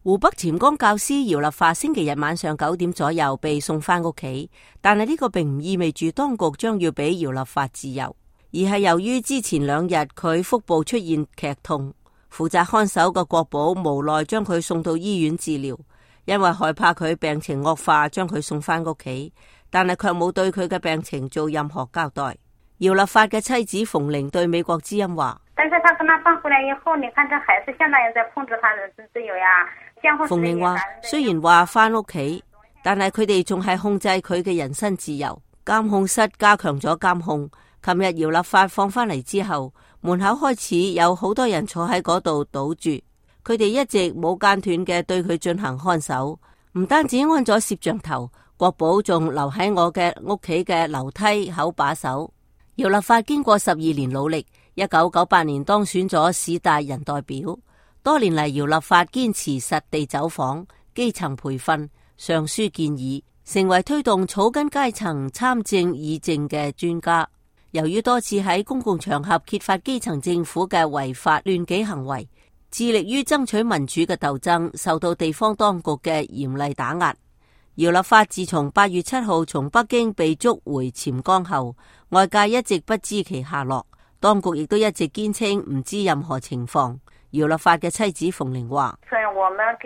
湖北潛江教師姚立發星期日晚上9點左右被送返屋企，但係呢個並唔意味住當局將要俾姚立發自由，而係由於之前2日佢腹部出現劇痛，負責看守嘅國保無奈將佢送到醫院治療，因為害怕佢病情惡化，將佢送返屋企，但係卻冇對佢嘅病情做任何交代。姚立發嘅妻子馮玲對美國之音話：但是他跟他放回來以後，你看這孩子現在也在控制他的自由呀。馮玲話：雖然話返屋企，但係佢哋仲係控制佢嘅人身自由。監控室加強咗監控。琴日姚立發放返嚟之後，門口開始有好多人坐喺嗰度堵住，佢哋一直冇間斷嘅對佢進行看守。唔單止安咗攝像頭，國保仲留喺我嘅屋企嘅樓梯口把守。姚立發經過12年努力，1998年當選咗市大人代表。多年嚟，姚立發堅持實地走訪、基層培訓、上書建議，成為推動草根階層參政議政嘅專家。由於多次喺公共場合揭發基層政府嘅違法亂紀行為，致力於爭取民主嘅鬥爭受到地方當局嘅嚴厲打壓。姚立發自從8月7號從北京被捉回潛江後，外界一直不知其下落，當局亦都一直堅稱唔知任何情況。姚立發嘅妻子馮玲話：我們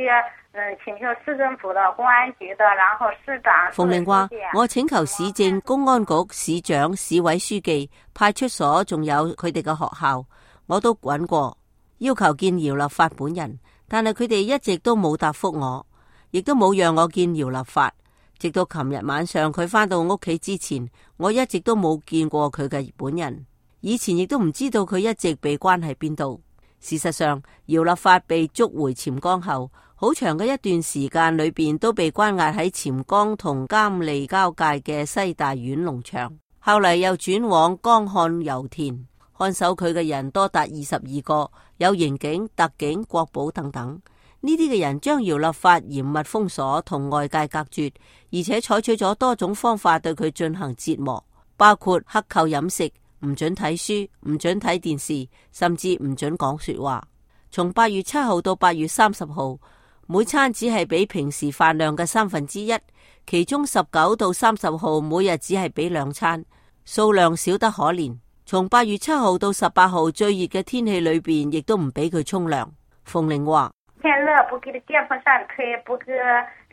請求市政府的公安局的，然後市長。馮玲話：我請求市政、公安局、市長、市委書記、派出所，仲有佢哋嘅學校，我都揾過，要求見姚立發本人，但係佢哋一直都冇答覆我，亦都冇讓我見姚立發。直到琴日晚上佢返到屋企之前，我一直都冇見過佢嘅本人。以前亦都唔知道佢一直被關喺邊度。事實上，姚立發被捉回潛江後，好長嘅一段時間裏邊都被關押喺潛江同監利交界嘅西大院農場，後嚟又轉往江漢油田。看守佢嘅人多達22個，有刑警、特警、國保等等。呢啲嘅人將姚立發嚴密封鎖，同外界隔絕，而且採取咗多種方法對佢進行折磨，包括克扣飲食、唔准睇書、唔准睇電視，甚至唔准講說話。從8月7號到8月30號，每餐只係俾平時飯量嘅1/3，其中19到30號每日只係俾2餐，數量少得可憐。從8月7號到18號最熱嘅天氣裏邊，亦都唔俾佢沖涼。馮玲話：天熱不給電風扇吹，不給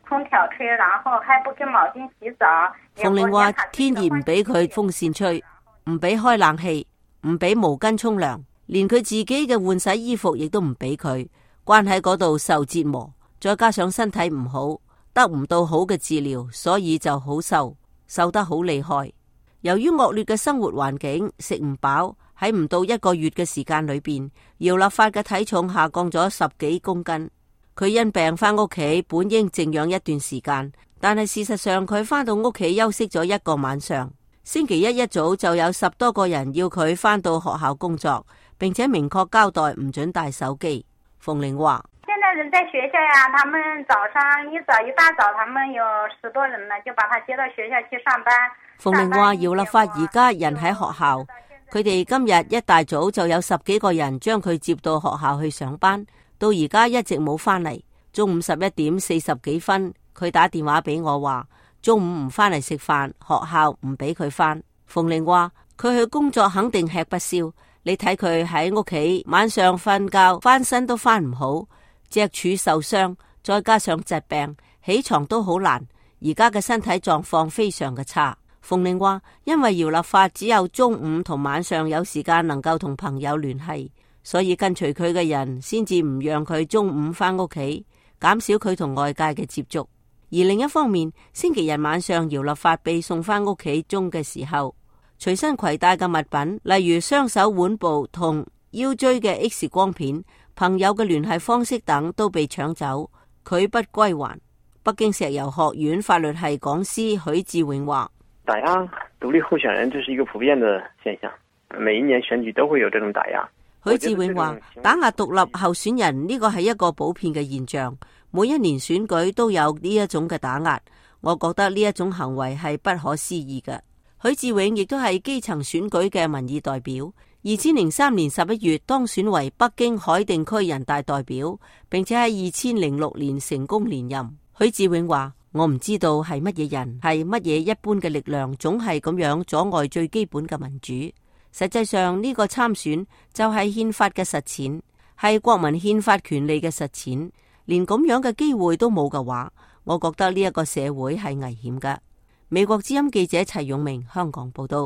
空調吹，然後還不給毛巾洗澡。馮玲話：天熱唔俾佢風扇吹，唔俾開冷氣，唔俾毛巾沖涼，連佢自己嘅換洗衣服亦都唔俾佢，關喺嗰度受折磨。再加上身體唔好，得唔到好嘅治療，所以就好瘦，瘦得好厲害。由於惡劣嘅生活環境，食唔飽，喺唔到1個月嘅時間裏邊，姚立發嘅體重下降咗10幾公斤。佢因病返屋企，本應靜養一段時間，但係事實上佢返到屋企休息咗1個晚上。星期一早就有10多個人要佢返到學校工作，並且明確交代唔准帶手機。馮玲話：現在人在學校呀，他們早上一大早，他們有10多人呢，就把他接到學校去上班。馮玲話：姚立發而家人喺學校，佢哋今日一大早就有10幾個人將佢接到學校去上班，到而家一直冇返嚟。中午11點40幾分，佢打電話俾我話，中午唔返嚟食飯，學校唔俾佢返。馮玲話：佢去工作肯定吃不消，你睇佢喺屋企晚上瞓覺翻身都翻唔好，脊柱受傷，再加上疾病，起床都好難，而家嘅身體狀況非常嘅差。馮玲話：因為姚立發只有中午同晚上有時間能夠同朋友聯繫，所以跟隨佢嘅人先至唔讓佢中午返屋企，減少佢同外界嘅接觸。而另一方面，星期日晚上姚立發被送返屋企中嘅時候，隨身攜帶嘅物品，例如雙手腕部同腰椎嘅 X 光片、朋友嘅聯繫方式等都被搶走，佢不歸還。北京石油學院法律系講師許志永話：打壓獨立候選人，這是一個普遍的現象，每一年選舉都會有這種打壓。許志永話：打壓獨立候選人呢個係一個普遍嘅現象，每一年選舉都有呢一種嘅打壓。我覺得呢一種行為係不可思議嘅。許志永亦都係基層選舉嘅民意代表， 2003年11月當選為北京海淀區人大代表，並且喺2006年成功連任。許志永話：我唔知道係乜嘢人，係乜嘢一般嘅力量，總係咁樣阻礙最基本嘅民主。實際上呢個參選就係憲法嘅實踐，係國民憲法權利嘅實踐。連咁樣嘅機會都冇嘅話，我覺得呢一個社會係危險㗎。美國之音記者齊永明香港報道。